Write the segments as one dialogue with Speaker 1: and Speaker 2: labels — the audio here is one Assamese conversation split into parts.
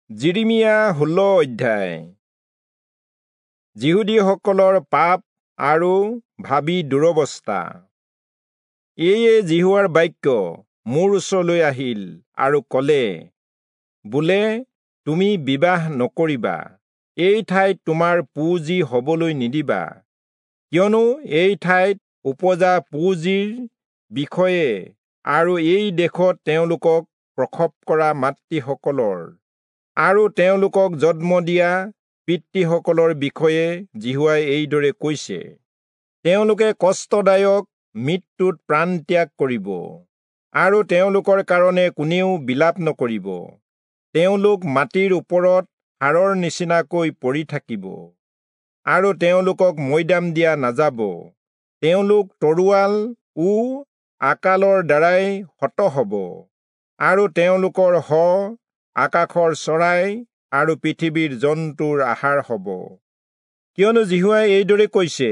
Speaker 1: যিৰিমিয়া 16 অধ্যায়। যিহুদীসকলৰ পাপ আৰু ভাবী দুৰৱস্থা। এয়ে যিহোৱাৰ বাক্য মোৰ ওচৰলৈ আহিল আৰু ক'লে, বোলে তুমি বিবাহ নকৰিবা, এই ঠাইত তোমাৰ পুঁজি হবলৈ নিদিবা, কিয়নো এই ঠাইত উপজা পুঁজিৰ বিষয়ে আৰু এই দেশত তেওঁলোকক প্ৰসৱ কৰা মাতৃসকলৰ আৰু তেওঁলোকক জন্ম দিয়া পিতৃসকলৰ বিষয়ে যিহোৱাই এইদৰে কৈছে, তেওঁলোকে কষ্টদায়ক মৃত্যুত প্ৰাণ ত্যাগ কৰিব আৰু তেওঁলোকৰ কাৰণে কোনেও বিলাপ নকৰিব। তেওঁলোক মাটিৰ ওপৰত হাড়ৰ নিচিনাকৈ পৰি থাকিব আৰু তেওঁলোকক মৈদাম দিয়া নাযাব। তেওঁলোক তৰোৱাল ও আকালৰ দ্বাৰাই হত হ'ব আৰু তেওঁলোকৰ শ আকাশৰ চৰাই আৰু পৃথিৱীৰ জন্তুৰ আহাৰ হ'ব। কিয়নো যিহোৱাই এইদৰে কৈছে,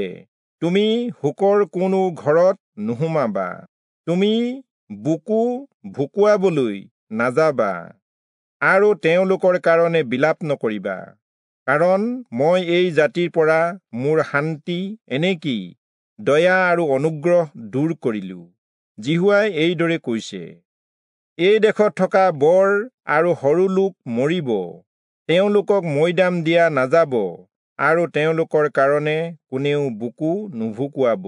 Speaker 1: তুমি শোকৰ কোনো ঘৰত নোসোমাবা, তুমি বুকু ভুকুৱাবলৈ নাযাবা আৰু তেওঁলোকৰ কাৰণে বিলাপ নকৰিবা, কাৰণ মই এই জাতিৰ পৰা মোৰ শান্তি, এনেকি দয়া আৰু অনুগ্ৰহ দূৰ কৰিলো। যিহোৱাই এইদৰে কৈছে, এই দেশত থকা বৰ আৰু সৰু লোক মৰিব, তেওঁলোকক মৈদাম দিয়া নাযাব আৰু তেওঁলোকৰ কাৰণে কোনেও বুকু নুভুকুৱাব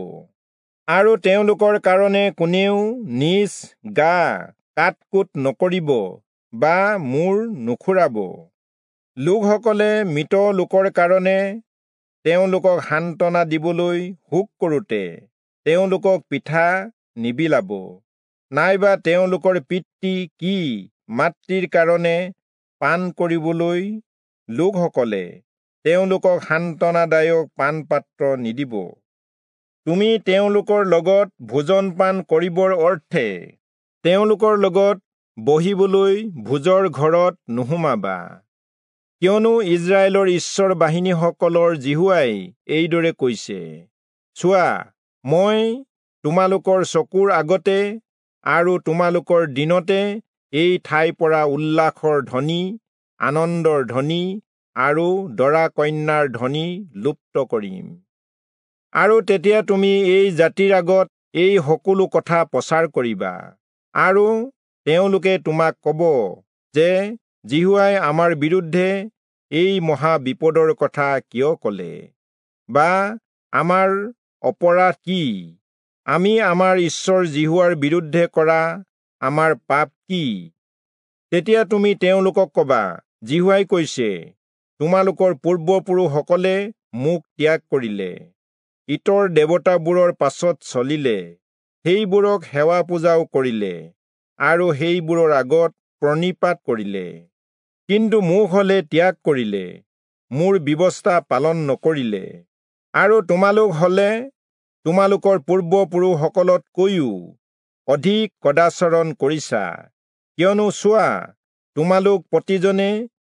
Speaker 1: আৰু তেওঁলোকৰ কাৰণে কোনেও নিজ গা কাট-কুট নকৰিব বা মূৰ নুখুৰাব। লোকসকলে মৃত লোকৰ কাৰণে তেওঁলোকক সান্তনা দিবলৈ শোক কৰোঁতে তেওঁলোকক পিঠা নিবিলাব, নাইবা তেওঁলোকৰ পিতৃ কি মাতৃৰ কাৰণে পান কৰিবলৈ লোকসকলে তেওঁলোকক সান্তনাদায়ক পানপাত্ৰ নিদিব। তুমি তেওঁলোকৰ লগত ভোজন পান কৰিবৰ অৰ্থে তেওঁলোকৰ লগত বহিবলৈ ভোজৰ ঘৰত নোসোমাবা, কিয়নো ইস্ৰায়েলৰ ঈশ্বৰ বাহিনীসকলৰ যিহোৱাই এইদৰে কৈছে, চোৱা, মই তোমালোকৰ চকুৰ আগতে আৰু তোমালোকৰ দিনতে এই ঠাইৰ পৰা উল্লাসৰ ধ্বনি, আনন্দৰ ধ্বনি আৰু দৰা কন্যাৰ ধ্বনি লুপ্ত কৰিম। আৰু তেতিয়া তুমি এই জাতিৰ আগত এই সকলো কথা প্ৰচাৰ কৰিবা, আৰু তেওঁলোকে তোমাক ক'ব যে যিহোৱাই আমাৰ বিৰুদ্ধে এই মহা বিপদৰ কথা কিয় ক'লে, বা আমাৰ অপৰাধ কি, আমি আমাৰ ঈশ্বৰ যিহোৱাৰ বিৰুদ্ধে কৰা আমাৰ পাপ কি? তেতিয়া তুমি তেওঁলোকক ক'বা, যিহোৱাই কৈছে, তোমালোকৰ পূৰ্বপুৰুষসকলে মোক ত্যাগ কৰিলে, ইতৰ দেৱতাবোৰৰ পাছত চলিলে, সেইবোৰক সেৱা পূজাও কৰিলে আৰু সেইবোৰৰ আগত প্ৰণিপাত কৰিলে, কিন্তু মোক হলে ত্যাগ কৰিলে, মোৰ ব্যৱস্থা পালন নকৰিলে। আৰু তোমালোক হলে তোমালোকৰ পূৰ্বপুৰুষসকলতকৈও অধিক কদাচৰণ কৰিছা, কিয়নো চোৱা, তোমালোক প্ৰতিজনে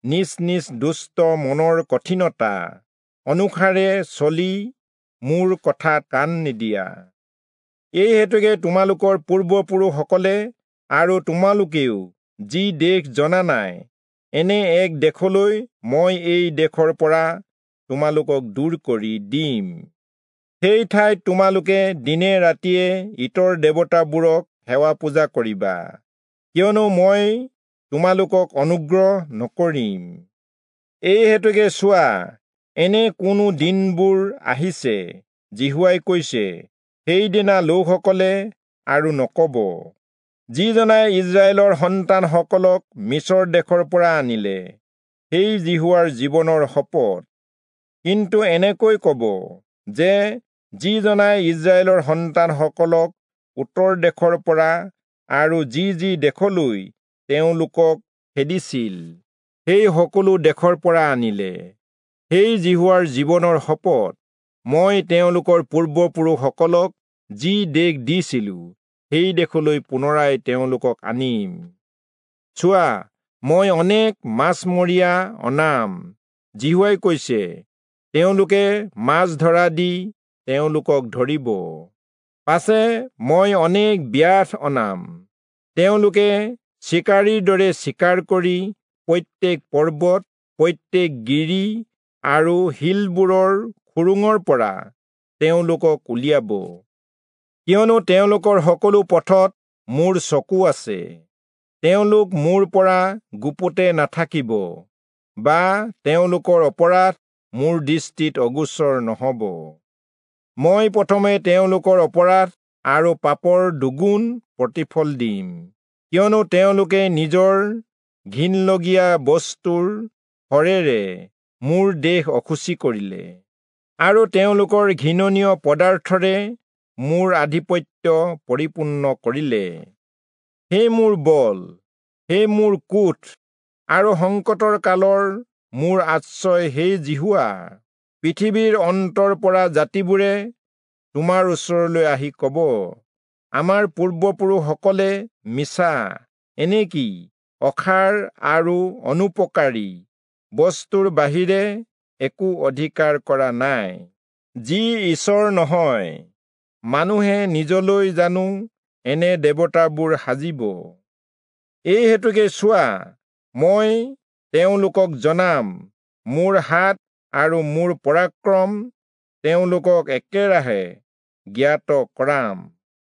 Speaker 1: নিজ নিজ দুষ্ট মনৰ কঠিনতা অনুসাৰে চলি মোৰ কথাত কাণ নিদিয়া। এই হেতুকে তোমালোকৰ পূৰ্বপুৰুষসকলে আৰু তোমালোকেও যি দেশ জনা নাই, এনে এক দেশলৈ মই এই দেশৰ পৰা তোমালোকক দূৰ কৰি দিম। সেই ঠাইত তোমালোকে দিনে ৰাতিয়ে ইতৰ দেৱতাবোৰক সেৱা পূজা কৰিবা, কিয়নো মই তোমালোকক অনুগ্ৰহ নকৰিম। এই হেতুকে চোৱা, এনে কোনো দিনবোৰ আহিছে, যিহোৱাই কৈছে, সেইদিনা লোকসকলে আৰু নক'ব, যিজনাই ইস্ৰায়েলৰ সন্তানসকলক মিচৰ দেশৰ পৰা আনিলে, সেই যিহোৱাৰ জীৱনৰ শপত। কিন্তু এনেকৈ ক'ব যে যিজনাই ইস্ৰায়েলৰ সন্তানসকলক উত্তৰ দেশৰ পৰা আৰু যি যি দেশলৈ তেওঁলোকক খেদিছিল, সেই সকলো দেশৰ পৰা আনিলে, সেই যিহোৱাৰ জীৱনৰ শপত, মই তেওঁলোকৰ পূৰ্বপুৰুষসকলক যি দেশ দিছিলো, সেই দেশলৈ পুনৰাই তেওঁলোকক আনিম। চোৱা, মই অনেক মাছমৰীয়া অনাম, যিহোৱাই কৈছে, তেওঁলোকে মাছ ধৰা দি তেওঁলোকক ধৰিব। পাছে মই অনেক ব্যাধ অনাম, তেওঁলোকে চিকাৰীৰ দৰে চিকাৰ কৰি প্ৰত্যেক পৰ্বত, প্ৰত্যেক গিৰি আৰু শিলবোৰৰ খুৰুঙৰ পৰা তেওঁলোকক উলিয়াব। কিয়নো তেওঁলোকৰ সকলো পথত মোৰ চকু আছে, তেওঁলোক মোৰ পৰা গুপুতে নাথাকিব, বা তেওঁলোকৰ অপৰাধ মোৰ দৃষ্টিত অগোচৰ নহব। মই প্ৰথমে তেওঁলোকৰ অপৰাধ আৰু পাপৰ দুগুণ প্ৰতিফল দিম, কিয়নো তেওঁলোকে নিজৰ ঘিণলগীয়া বস্তুৰ শৰেৰে মোৰ দেশ অশুচি কৰিলে, আৰু তেওঁলোকৰ ঘৃণনীয় পদাৰ্থৰে মোৰ আধিপত্য পৰিপূৰ্ণ কৰিলে। হে মোৰ বল, হে মোৰ কোঠ, আৰু সংকটৰ কালৰ মোৰ আশ্ৰয় হে যিহোৱা, পৃথিৱীৰ অন্তৰ পৰা জাতিবোৰে তোমাৰ ওচৰলৈ আহি কব, আমাৰ পূৰ্বপুৰুষসকলে মিছা, এনেকি অসাৰ আৰু অনুপকাৰী বস্তুৰ বাহিৰে একো অধিকাৰ কৰা নাই। যি ঈশ্বৰ নহয়, মানুহে নিজলৈ জানো এনে দেৱতাবোৰ সাজিব? এই হেতুকে চোৱা, মই তেওঁলোকক জনাম, মোৰ হাত আৰু মোৰ পৰাক্ৰম তেওঁলোকক একেৰাহে জ্ঞাত কৰাম।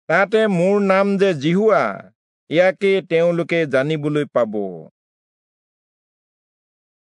Speaker 1: তাতে মোৰ নাম যে যিহোৱা, ইয়াকে তেওঁলোকে জানিবলৈ পাব।